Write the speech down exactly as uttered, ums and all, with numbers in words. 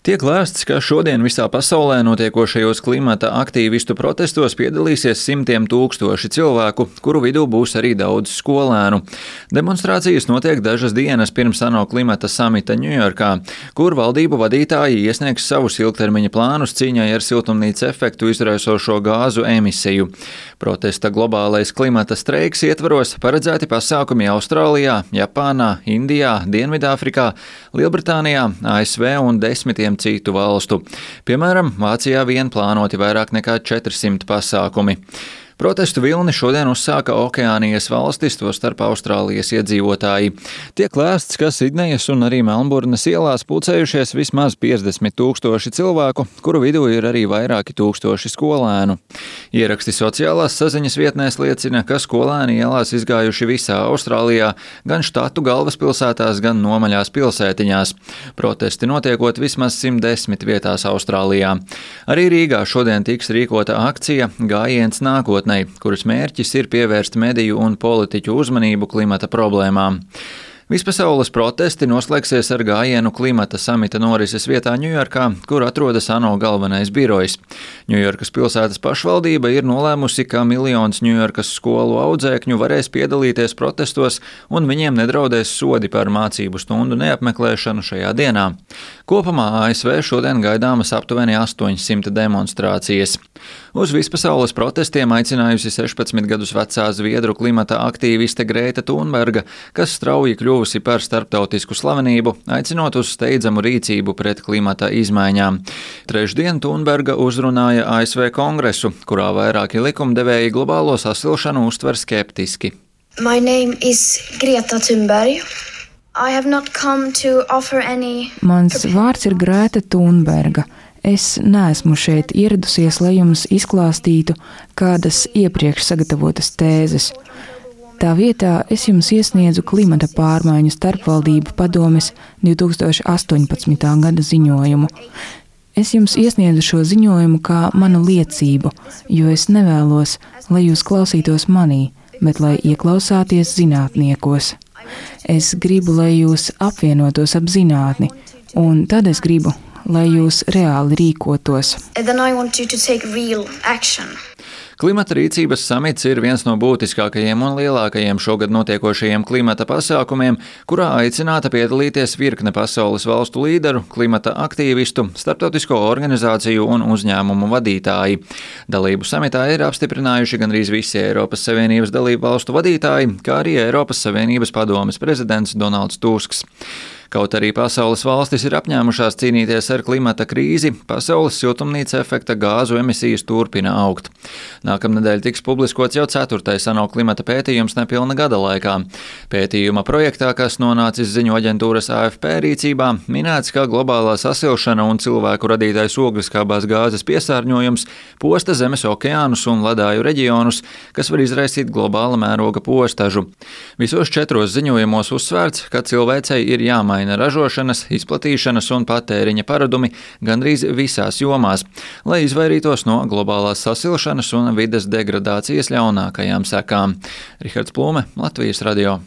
Tiek lēsts, ka šodien visā pasaulē notiekošajos klimata aktīvistu protestos piedalīsies simtiem tūkstoši cilvēku, kuru vidū būs arī daudz skolēnu. Demonstrācijas notiek dažas dienas pirms ANO klimata samita Ņujorkā, kur valdību vadītāji iesniegs savus ilgtermiņa plānus cīņai ar siltumnīca efektu izraisošo gāzu emisiju. Protesta globālais klimata streiks ietvaros paredzēti pasākumi Austrālijā, Japānā, Indijā, Dienvidāfrikā, Lielbritānijā, A S V un desmitiem citu valstu. Piemēram, Vācijā vien plānoti vairāk nekā četrsimt pasākumi. Protestu vilni šodien uzsāka Okeānijas valstis, tostarp Austrālijas iedzīvotāji. Tiek lēsts, ka Sidnejas un arī Melnburnas ielās pulcējušies vismaz piecdesmit tūkstoši cilvēku, kuru vidū ir arī vairāki tūkstoši skolēnu. Ieraksti sociālās saziņas vietnēs liecina, ka skolēni ielās izgājuši visā Austrālijā, gan štatu galvaspilsētās, gan nomaļās pilsētiņās. Protesti notiekot vismaz simt desmit vietās Austrālijā. Arī Rīgā šodien tiks rīkota akcija Gājiens nākotnē, kuras mērķis ir pievērst mediju un politiķu uzmanību klimata problēmām. Vispasaules protesti noslēgsies ar gājienu klimata samita norises vietā Ņujorkā, kur atrodas ANO galvenais birojs. Ņujorkas pilsētas pašvaldība ir nolēmusi, ka miljons Ņujorkas skolu audzēkņu varēs piedalīties protestos un viņiem nedraudēs sodi par mācību stundu neapmeklēšanu šajā dienā. Kopumā A S V šodien gaidāmas aptuveni astoņsimt demonstrācijas. Uz vispasaules protestiem aicinājusi sešpadsmit gadus vecā zviedru klimata aktīviste Grēta Thunberga, kas strauji kļuvusi par starptautisku slavenību, aicinot uz steidzamu rīcību pret klimata izmaiņām. Trešdien Thunberga uzrunāja A S V kongresu, kurā vairāki likumdevēji globālo sasilšanu uztver skeptiski. My name is Greta Thunberg. I have not come to offer any... Mans vārds ir Grēta Thunberga. Es neesmu šeit ieradusies, lai jums izklāstītu kādas iepriekš sagatavotas tēzes. Tā vietā es jums iesniedzu klimata pārmaiņu starpvaldību padomes divi tūkstoši astoņpadsmitā gada ziņojumu. Es jums iesniedzu šo ziņojumu kā manu liecību, jo es nevēlos, lai jūs klausītos manī, bet lai ieklausāties zinātniekos. Es gribu, lai jūs apvienotos ap zinātni, un tad es gribu, lai jūs reāli rīkotos. Klimata rīcības samits ir viens no būtiskākajiem un lielākajiem šogad notiekošajiem klimata pasākumiem, kurā aicināta piedalīties virkne pasaules valstu līderu, klimata aktīvistu, starptautisko organizāciju un uzņēmumu vadītāji. Dalību samitā ir apstiprinājuši gandrīz visi Eiropas Savienības dalību valstu vadītāji, kā arī Eiropas Savienības padomes prezidents Donalds Tusks. Kaut arī pasaules valstis ir apņēmušās cīnīties ar klimata krīzi, pasaules siltumnīca efekta gāzu emisijas turpina augt. Nākamnedēļ tiks publiskots jau ceturtais ANO klimata pētījums nepilna gada laikā. Pētījuma projektā, kas nonācis ziņu aģentūras A F P rīcībā, minēts, ka globālā sasilšana un cilvēku radītais ogliskābās gāzes piesārņojums posta zemes okeānus un ledāju reģionus, kas var izraisīt globāla mēroga postažu. Visos četros ziņojumos uzsvērts, ka cilvēcei ir jāmaina ražošanas, izplatīšanas un patēriņa paradumi gandrīz visās jomās, lai izvairītos no globālās sasilšanas un vides degradācijas ļaunākajām sekām. Rihards Plūme, Latvijas radio.